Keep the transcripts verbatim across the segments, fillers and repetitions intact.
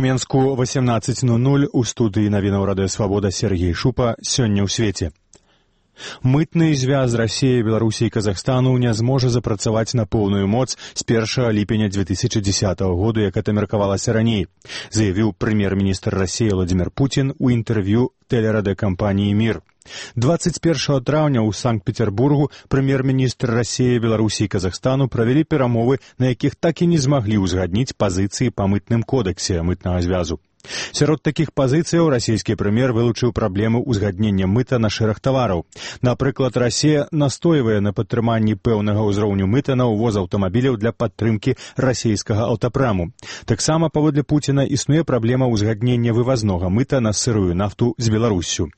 Менску восемнадцать ноль ноль у студыі навінаў радыё Свабода Сергей Шупа. Сёння ў свеце. Мытны звяз Расіі, Беларусі і Казахстану не зможа запрацаваць на поўную моц з першага ліпеня две тысячы дзесятага году, як это меркавалася раней, заявіў прэм'ер-міністр Расіі Владзімир Путін у інтэрв'ю тэлерадыёкампаніі «Мір». двадцать першага траўня ў Санкт-Петербургу прэм'ер-міністр Расіі, Беларусі і Казахстану правялі перамовы, на якіх так і не змаглі ўзгадніць пазіцыі па мытным кодексе мытнага звязу. Сярод такіх пазіцыяў расійскі прэм'ер вылучыў праблему ўзгаднення мыта на шэраг тавараў. Напрыклад, Расія настойвае на падтрыманні пэўнага ўзроўню мыта на ўвоз аўтамабіляў для падтрымкі расійскага аўтапраму. Таксама, паводле Пуціна, існуе праблема ўзгаднення вывазнога мыта на сырую нафту з Беларуссю.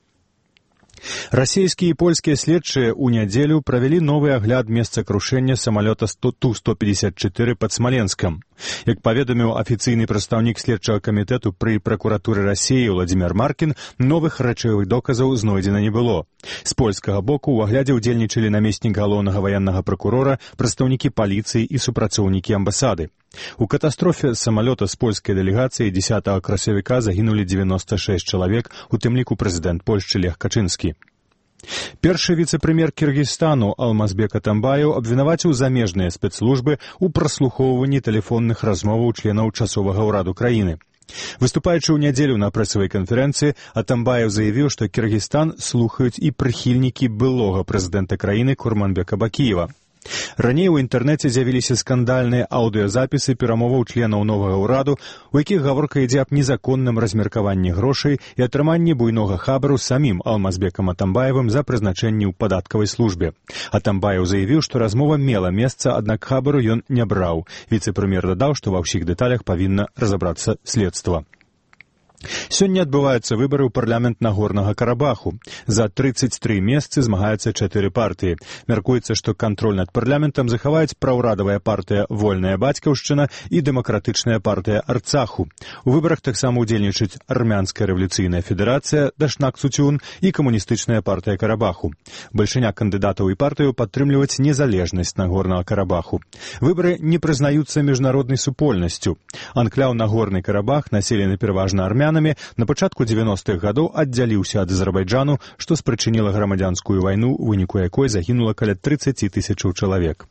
Расійскія і польскія следчыя ў нядзелю правялі новы агляд месца крушэння самалёта Ту сто пятьдесят четыре пад Смоленскам. Як паведаміў афіцыйны прадстаўнік следчага камітэту пры пракуратуры Расіі Владзімир Маркін, новых рэчавых доказаў знойдзена не было. З польскага боку ў аглядзе ўдзельнічалі намеснік галоўнага ваеннага пракурора, прадстаўнікі паліцыі і супрацоўнікі амбасады. У катастрофе самалёта з польскай дэлегацыяй дзесятага красавіка загінулі девяносто шесть чалавек, у тым ліку прэзідэнт Польшчы Лех Качынскі. Першы віцэ-прэм'ер Кіргізстану Алмазбек Атамбаев абвінаваціў замежныя спецслужбы ў праслухоўванні тэлефонных размоваў членаў часовага ўраду краіны. Выступаючы ў нядзелю на прэсавай канферэнцыі, Атамбаев заявіў, што Кіргізстан слухаюць і прыхільнікі былога прэзідэнта краіны Курманбека Бакіева. Раней у інтэрнэце з'явіліся скандальныя аўдыёзапісы перамоваў членаў новага ўраду, у якіх гаворка ідзе аб незаконным размеркаванні грошай і атрыманні буйнога хабару самім Алмазбекам Атамбаевым за прызначэнне ў падаткавай службе. Атамбаев заявіў, што размова мела месца, аднак хабару ён не браў. Віцэ-прэм'ер дадаў, што ва ўсіх дэталях павінна разабрацца следства. Сёння адбываюцца выбары ў парламент Нагорнага Карабаху. За тридцать три месцы змагаюцца чатыры партыі. Мяркуецца, што кантроль над парламентам захаваюць праўрадавая партыя «Вольная бацькаўшчына» і дэмакратычная партыя «Арцаху». У выбарах таксама ўдзельнічаюць Армянская рэвалюцыйная федэрацыя «Дашнак Цутюн» і камуністычная партыя Карабаху. Бальшыня кандыдатаў і партыяў падтрымліваць незалежнасць Нагорнага Карабаху. Выбары не прызнаюцца міжнароднай супольнасцю. Анкляў Нагорны Карабах, населены пераважна армянамі, на пачатку девяностых гадоў аддзяліўся ад Азербайджану, што спрычыніла грамадзянскую вайну, у выніку якой загінула каля тридцать тысячаў чалавек.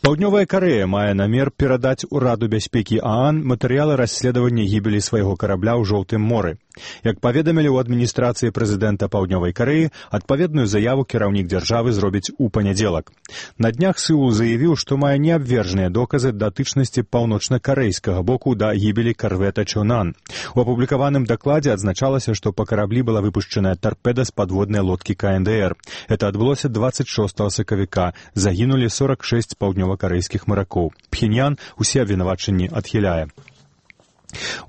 Паўднёвая Карэя мае намер перадаць Ураду бяспекі ААН матэрыялы расследавання гібелі свайго карабля ў Жоўтым моры. Як паведамілі ў адміністрацыі прэзідэнта Паўднёвай Карэі, адпаведную заяву кіраўнік дзяржавы зробіць у панядзелак. На днях Сеул заявіў, што мае неабвержныя доказы датычнасці паўночна-карэйскага боку да гібелі карвета Чонан. У апублікаваным дакладзе адзначалася, што па караблі была выпушчаная тарпеда з падводнай лодкі ка эн дэ эр. Это адбылося двадцать шостага сакавіка. Загінулі сорок шесть паўднёва-карэйскіх маракоў. Пхеньян усе абвінавачанні адхіляе.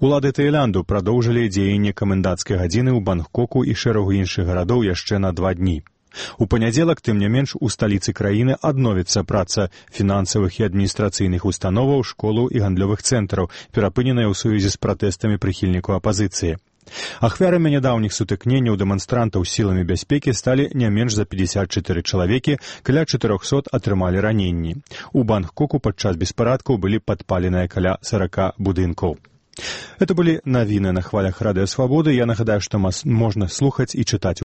Улады Таіланду прадоўжылі дзеянне каменданцкай гадзіны ў Бангкоку і шэрагу іншых гарадоў яшчэ на два дні. У панядзелак, тым не менш, у сталіцы краіны адновіцца праца фінансавых і адміністрацыйных установаў, школаў і гандлёвых цэнтраў, перапыненая ў сувязі з пратэстамі прыхільнікаў апазіцыі. Ахвярамі нядаўніх сутыкненняў дэманстрантаў з сіламі бяспекі сталі не менш за пятьдесят четыре чалавекі, каля четырёхсот атрымалі раненні. У Бангкоку падчас беспарадкаў былі падпаленыя каля сорока будынкаў. Это были навіны на хвалях Радыё Свабоды. Я нагадаю, што нас можна слухаць і чытаць